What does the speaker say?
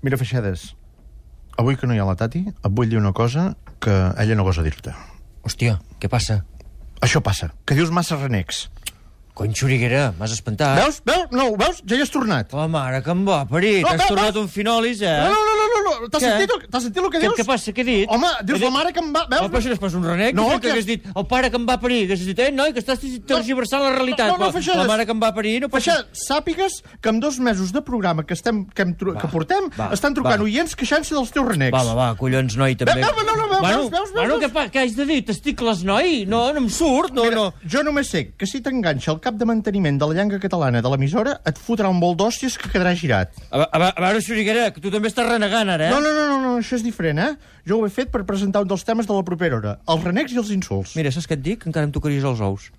Mira, Feixedes, avui que no hi ha la Tati, et vull dir una cosa que ella no gosa dir-te. Hòstia, què passa? Això passa, que dius massa renecs. Cony, Xuriguera, m'has espantat. Veus? No, ho veus? Ja hi has tornat. La mare que em va parir. No, T'has tornat un finolis, eh? No. T'has sentit el que dius? Què passa? Què he dit? Home, dius la mare que em va... No, Veus? però si no és pas un renec, No, que hagués dit el pare que em va parir, hagués dit, noi, que estàs tergiversant la realitat. No, Feixedes. La mare que em va parir no pot... Feixedes, sàpigues que en 2 mesos de programa que portem estan trucant oients queixant-se dels teus renecs. Va, collons, noi, també. Veus? Bueno, què haig de dir? Testicles, noi? No em surt, no. Jo només sé que si t'enganxa el cap de manteniment de la llengua catalana de l'emissora, et fotrà un bol d'hòsties que quedarà girat. A veure, Xuriguera, que tu també estàs renegant, ara, eh? No, això és diferent, eh? Jo ho he fet per presentar un dels temes de la propera hora, els renecs i els insults. Mira, saps què et dic? Encara em tocaries els ous.